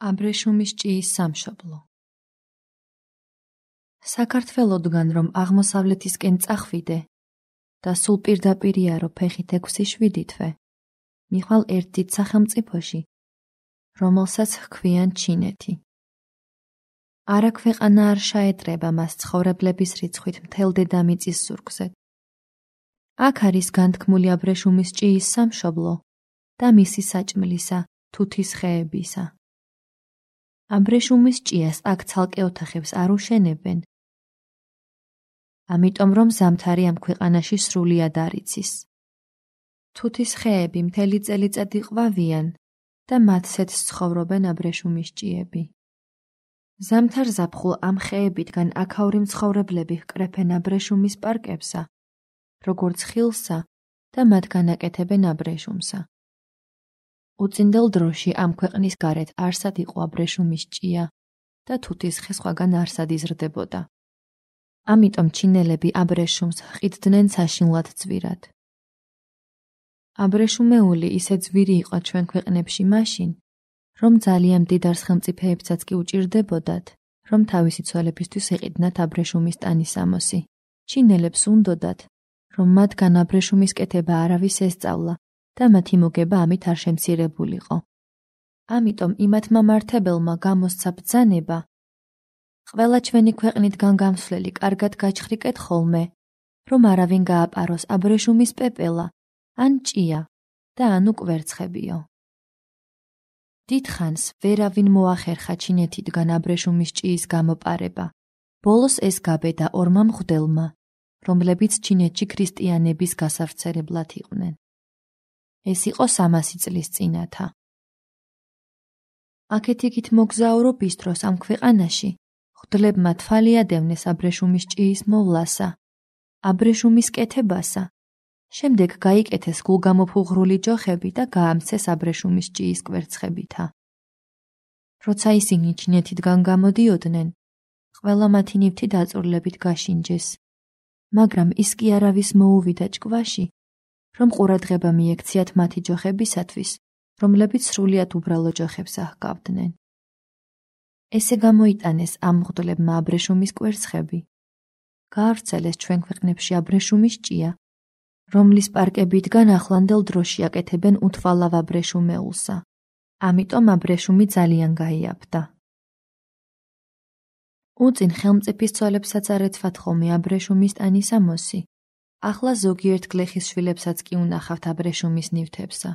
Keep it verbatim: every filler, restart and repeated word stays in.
აბრეშუმის ჭიის სამშობლო. საქართველოდგან რომ აღმოსავლეთისკენ წახვიდე და სულ პირდაპირია რო ფეხით ექვსი შვიდი თვე, მიხვალ ერთ დიდ სახელმწიფოში, რომელსაც ჰქვიან ჩინეთი. არა ქვეყანა არ შეეტრება მას ცხოვრებლების რიცხვით მთელ დედამიწის ზურგზე. აქ არის განთქმული აბრეშუმის ჭიის სამშობლო და მისი საჭმლისა, თუთის ხეებისა. აბრეშუმის ჭიას აქ ცალკე ოთახებს არ უშენებენ, ამიტომ რომ ზამთარი ამ ქვეყანაში სრულიად არ იცის. თუთის ხეები მთელი წელიწადი ყვავიან და მათსეთ ცხოვრობენ აბრეშუმის ჭიები. ზამთარ ზაფხულ ამ ხეებიდან აქაური მცხოვრებლები ჰკრეფენ აბრეშუმის პარკებსა, როგორც ხილსა და მათგან აკეთებენ აბრეშუმსა. უწინდელ დროში ამ ქვეყნის გარეთ არსად იყო აბრეშუმის ჭია და თუთის ხე სხვაგან არსად იზრდებოდა. ამიტომ ჩინელები აბრეშუმს ჰყიდდნენ საშინლად ძვირად. აბრეშუმეული ისე ძვირი იყო ჩვენ ქვეყნებში მაშინ, რომ ძალიან მდიდარ სახელმწიფოებსაც კი უჭირდებოდათ, რომ თავისი ცოლებისთვის ეყიდნათ აბრეშუმის ტანისამოსი. ჩინელებს უნდოდათ, რომ მათგან აბრეშუმის კეთება არავის ესწავლა და მათი მოგება ამით არ შემცირებულიყო. ამიტომ იმათ მამართებელმა გამოსცა ბრძანება, ყველა ჩვენი ქვეყნიდან გამსვლელი კარგად გაჩხრიკეთ ხოლმე, რომ არავინ გააპაროს აბრეშუმის პეპელა, ან ჭია და ანუ კვერცხებიო. დიდხანს ვერავინ მოახერხა ჩინეთიდან აბრეშუმის ჭიის გამოპარება. ბოლოს ეს გაბედა ორმა მღვდელმა, რომლებიც ჩინეთში ქრისტიანების გასავრცელებლად იყვნენ. ეს იყო სამასი წლის წინათა. აქეთ-იქით მოგზაურობის დროს ამ ქვეყანაში მღვდლებმა თვალი ადევნეს აბრეშუმის ჭიის მოვლასა, აბრეშუმის კეთებასა, შემდეგ გაიკეთეს გულგამოფუღრული ჯოხები და გაამცეს აბრეშუმის ჭიის კვერცხებითა. როცა ისინი ჩინეთიდან გამოდიოდნენ, ყველა მათი ნივთი დაწურლებით გაშინჯეს, მაგრამ ის კი არავის მოუვიდა ჭკვაში, რომ ყურადღება მიექციათ მათი ჯოხებისათვის, რომლებიც სრულიად უბრალო ჯოხებს აჰყავდნენ. ესე გამოიტანეს ამ მღვდლებმა აბრეშუმის კვერცხები. გაავრცელეს ჩვენ ქვეყნებში აბრეშუმის ჭია, რომლის პარკებიდან ახლანდელ დროში აკეთებენ უთვალავ აბრეშუმეულსა. ამიტომ აბრეშუმი ძალიან გაიაფდა. უწინ ხელმწიფის ცოლებსაც არ ეცვათ ხოლმე აბრეშუმის ტანისამოსი. ახლა ზოგიერთ გლეხის შვილებსაც კი უნახავთ აბრეშუმის ნივთებსა.